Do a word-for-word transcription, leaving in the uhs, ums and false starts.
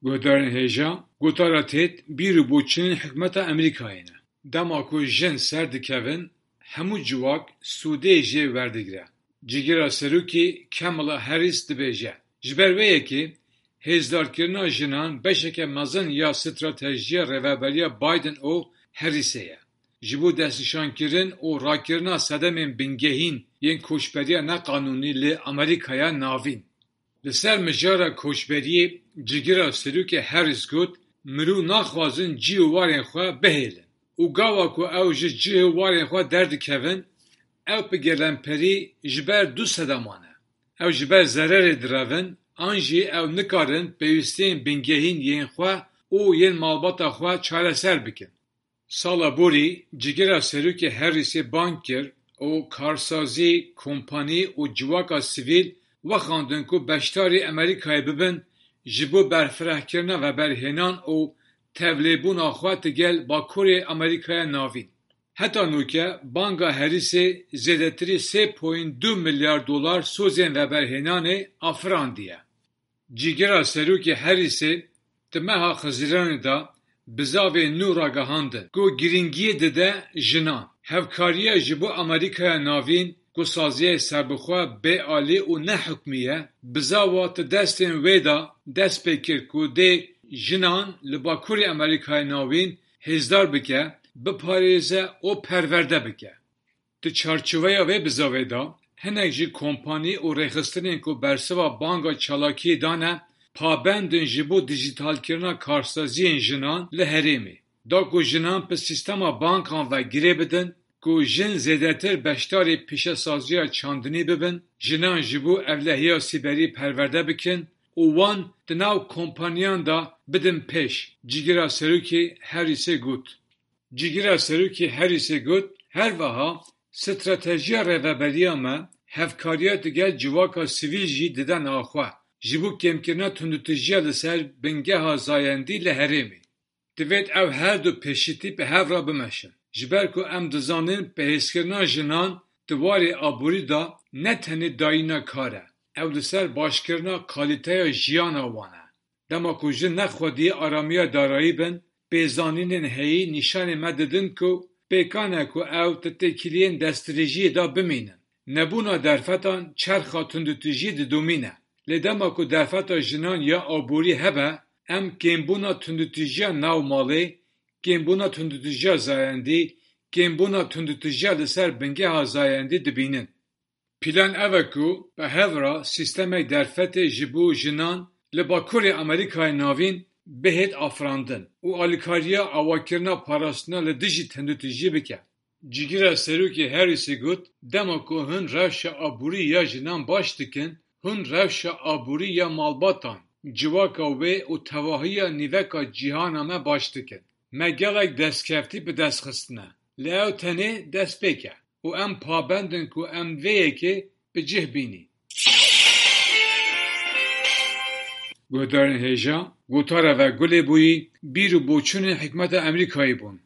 Guhdarên hêja, gotara têt bîr û boçûnên hikûmeta Amerîkayê ne. Dema ku jin ser dikevin, hemû civak sûdê jê werdigire. Cîgira serokê Kamala Harris dibêje, ji ber wê yekê hêzdarkirina jinan beşeke mezin ya stratejiya rêveberiya Biden û Harrisê ye, ji bo destnîşankirin û rakirina sedemên bingehîn yên koçberiya neqanûnî li Amerîkaya Navîn. Li ser mijara koçberiyê cîgira serokê Harris got, mirov naxwazin cih û warên xwe bihêlin û gava ku ew ji cih û warên xwe derdikevin, ew bi gelemperî ji ber du sedeman e. Ew ji ber zererê direvin, an jî ew nikarin pêwîstiyên bingehîn yên xwe û yên malbata xwe çareser bikin. Sala borî, cîgira serokê Harrisê bang kir û karsazî, kompanî û civaka sivîl wexandin ku beşdarî Amerîkayê bibin, ji bo berfirehkirina veberhênan û tevlêbûna xwe digel Bakurê Amerîkaya Navîn. Heta nûke banga Harrisê zêdetirî sê point du milyar dolar sozên veberhênanê afirandiye. Cîgira serokê Harrisê di meha Xizîranê de bizavên nû ragihandin ku girîngiyê dide jinan. Hevkariya ji bo Amerîkaya Navîn ku saziyê serbixwe bêalî û nehukmî ye, bizava di destên wê de dest pê kir ku dê jinan li Bakurê Amerîkaya Navîn hêzdar bike, biparêze û perwerde bike. Di çarçoveya vê bizavê de, hinek ji kompanî û rêxistinên ku bersiva banga çalakiyê dane, pabend in ji bo dijîtalkirina karsaziyên jinan li herêmê. Da ku jinan bi sîstema bankan ve girê bidin, ku jin zêdetir beşdarî pîşesaziya çandinî bibin, jinan ji bo ewlehiya sîberî perwerde bikin û wan di nav kompaniyan de bidin pêş, cîgira serokê Harrisê got. Cîgira serokê Harrisê got, her wiha stratejiya rêveberiya me hevkariya digel civaka sivîl jî dide nav xwe, ji bo kêmkirina tundûtîjiya li ser bingeha zayendî li herêmê. Divêt ew her du pêşîtî bi hev re bimeşin. Ji ber ku em dizanin bihêzkirina jinan di warê aborî de ne tenê dayîna kar e, ew li ser başkirina kalîteya jiyana wan e. Dema ku jin ne xwediyê aramiya darayî bin, pêzanînên heyî nîşanê me didin ku pêkan e ku ew di têkiliyên destdirêjiyê de bimînin. Nebûna derfetan çerxa tundûtîjiyê didomîne. Lê dema ku derfeta jinan ya aborî hebe, em kêmbûna tundûtîjiya nav malê, kêmbûna tundûtîjiya zayendî, kêmbûna tundûtîjiya li ser bingeha zayendî dibînin. Plan ev e ku bi hev re sîstemek derfetê ji bo jinan li Bakurê Amerîkayê Navîn bihêt afirandin û alîkariya avakirina parastina li dijî tundûtîjiyê bike. Cîgira serokê Harrisê got, dema ku hûn rewşa aborî ya jinan baş dikin, hûn rewşa aborî ya malbatan, civaka wê û tevahiya nîveka cîhana me baş dikin. Me gelek destkeftî bi dest xistine, lê ew tenê destpêk e û em pabend in ku em vê yekê bi cih bînîn. Guhdarên hêja, gotara ve gulê bûyî bîr û boçûnên hikûmeta Amerîkayê bûn.